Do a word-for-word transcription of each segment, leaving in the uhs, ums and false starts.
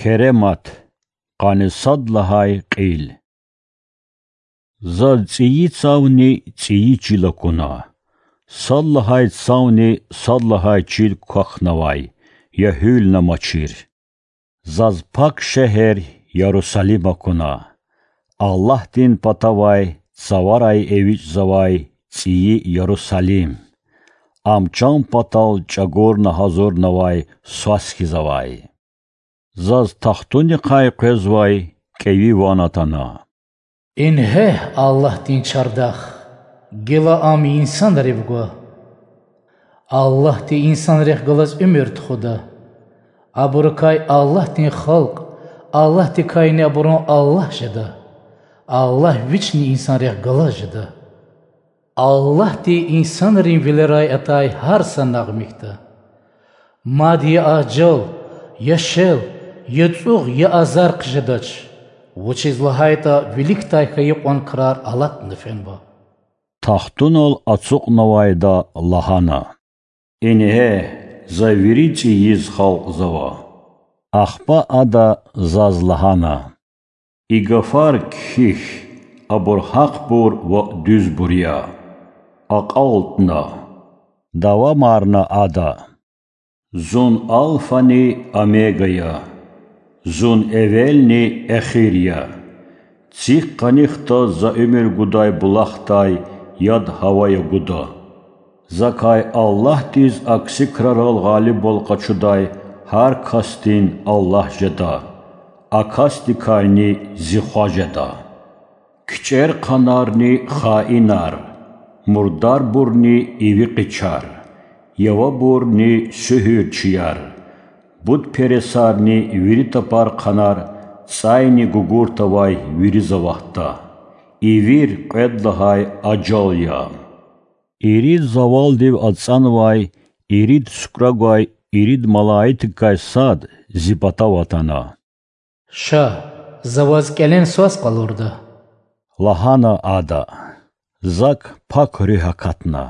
Керемат, къанни сад лагьай кьил. Заз цӀийи цавни цӀийи чил акуна, сад лагьай цавни сад лагьай чил квахьнавай, я гьуьлна мачир. Заз пак шегьер Ярусалим акуна, Аллагьдин патавай цаварай эвичӀзавай цӀийи Ярусалим, ам чан патал чӀагурна гьазурнавай свас хьиз авай. Заз тахтунихъай къвезвай кӀеви ван атана. Ингье Аллагьдин чардах, гила ам инсанрив гва. Аллагьди инсанрихъ галаз уьмуьр тухуда. Абурукай Аллагьдин халкь, Аллагьдикайни абурун Аллагь жеда. Аллагь вични инсанрихъ галаз жеда. Аллагьди инсанрин вилерай атай гьар са нагъв михьда. Мад я ажал, я шел, я цӀугъ, я азар хъжедач, вучиз лагьайтӀа виликдай хьайи кьван крар алатна фенва. Тахтунал ацукьнавайда лагьана: Ингье, за вири цӀийиз халкьзава. Ахпа ада заз лагьана: И гафар кхьихь, абур гьахъбур ва дуьзбур я. АкьалтӀна,— давамарна ада,— Зун Алфани Омега я, Зун эвелни эхир я. ЦихкӀ къаних таз за уьмуьр гудай булахдай яд гьавая гуда. Закай Аллагьдиз акси крарал гъалибвал къачудай гьар касдин Аллагь жеда, а касдикайни Зи Хва жеда. КичӀерхъанарни хаинар, мурдарбурни иви къичар, явабурни суьгьуьрчияр, бутпересарни вири тапархъанар, цӀайни гугурт авай вири заватда. Ивир кьвед лагьай ажал я. Ирид завалдив ацӀанвай ирид сукӀра гвай ирид малаикдикай сад Зи патав атана. Ша, За ваз кӀелен свас къалурда,— лагьана ада. Зак Пак Руьгь акатна.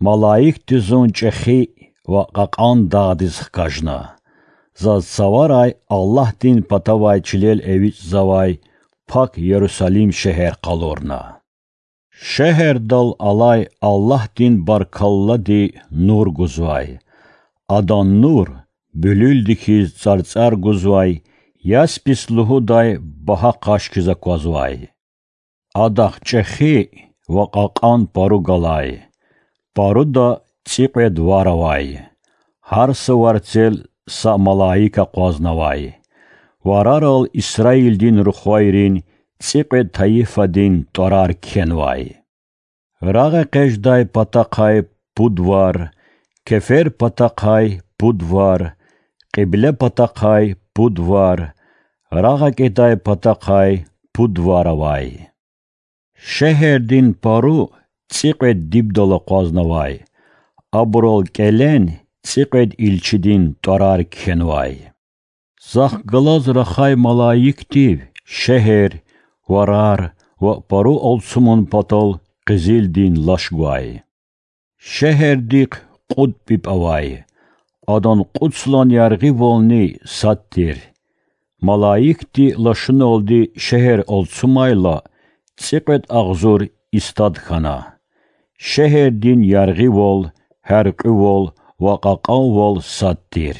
Малаикди зун чӀехи ва кьакьан дагъдиз хкажна. Заз цаварай Аллагьдин патавай чилел эвичӀзавай пак Ярусалим шегьер къалурна. Шегьердал алай Аллагьдин баркаллади нур гузвай. Адан нур, буьлуьлди хьиз цӀарцӀар гузвай, яспис лугьудай багьа къаш хьиз аквазвай. Адахъ чӀехи ва кьакьан пару галай. Паруда цӀикьвед вар авай. Гьар са варцел са малаик акъвазнавай. Варарал Исраилдин рухвайрин цӀикьвед тайифадин тӀварар кхьенвай. РагъэкъечӀдай патахъай пуд вар, кефер патахъай пуд вар, кьибле патахъай пуд вар, рагъакӀидай патахъай пуд вар авай. Шегьердин пару цӀикьвед дибдал акъвазнавай, абурал кӀелен цӀикьвед илчидин тӀварар кхьенвай. Захъ галаз рахай малаикдив шегьер, варар ва пару алцумун патал къизилдин лаш гвай. Шегьердихъ кьуд пӀипӀ авай, адан кьуд йисалай яргъивални сад тир. Малаикди лашуналди шегьер алцумайла, цӀикьвед агъзур истад хьана. Шегьердин яргъивал, гьяркьуьвал ва кьакьанвал сад тир.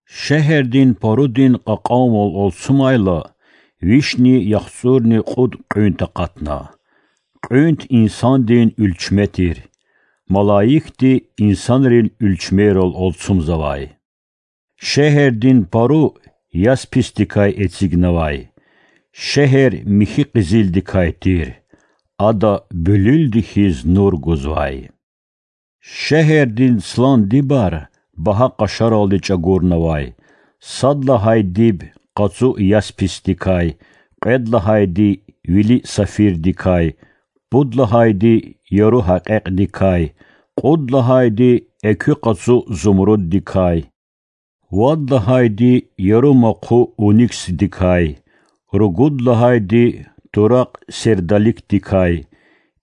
Шегьердин парудин кьакьанвал алцумайла, вишни яхцӀурни кьуд кьуьнт акъатна. Кьуьнт инсандин уьлчме тир. Малаикди инсанрин уьлчмейрал алцумзавай. Шегьердин пару ясписдикай эцигнавай. Шегьер михьи къизилдикай тир. Ада буьлуьлди хьиз нур гузвай. Шегьердин йисалай дибар багьа къашаралди чӀагурнавай: сад лагьай диб къацу ясписдикай, кьвед лагьайди вили сафирдикай, пуд лагьайди яру гьакьекьдикай, кьуд лагьайди экуь къацу зумруддикай, вад лагьайди яру махъу униксдикай, ругуд лагьайди туракь сердоликдикай,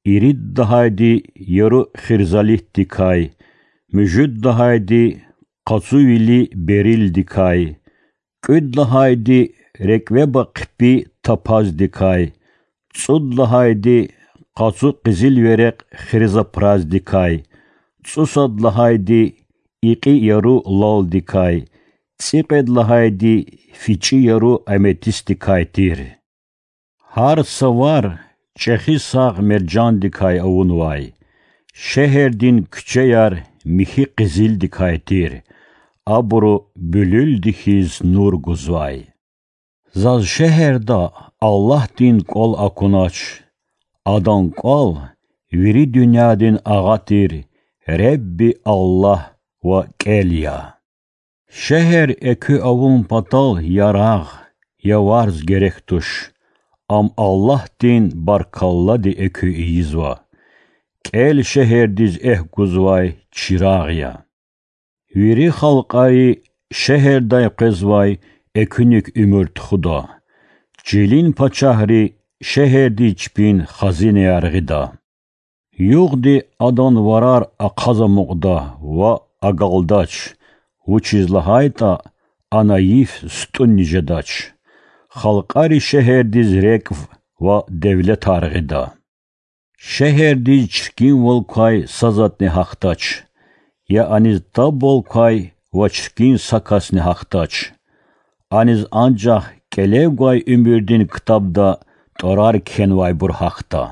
ирид лагьайди яру хирзолитдикай, муьжуьд лагьайди къацу вили бериллдикай, КӀуьд лагьайди— рекӀвеба хъипи тапаздикай, цӀуд лагьайди— къацу къизил верекь хризопраздикай, цӀусад лагьайди— икьи яру лалдикай, цӀикьвед лагьайди— фичӀи яру аметистдикай тир. Гьар са вар чӀехи сагъ мержандикай авунвай, шегьердин куьчеяр михьи къизилдикай тир, абуру буьлуьлди хьиз нур гузвай. Заз шегьерда Аллагьдин кӀвал акунач. Адан кӀвал вири дуьньядин Агъа тир, Ребби Аллагь ва КӀел я. Шегьер экуь авун патал ярагъ, яварз герек туш. Ам Аллагьдин баркаллади экуь ийизва. КӀел шегьердиз экв гузвай чирагъ я. Вири халкьари шегьердай къвезвай экуьник уьмуьр тухуда. Чилин пачагьри шегьердиз чпин хазинаяр гъида. Югъди адан варар ахъаз амукьда ва агалдач, вучиз лагьайтӀа ана йиф сутӀунни жедач. Халкьари шегьердиз рекӀв ва девлетар гъида. Шегьердиз чиркинвал квай са затӀни гьахьдач, я аниз табвал квай ва чиркин са касни гьахьдач. Аниз анжах кӀелев гвай уьмуьрдин ктабда тӀварар кхьенвайбур гьахьда.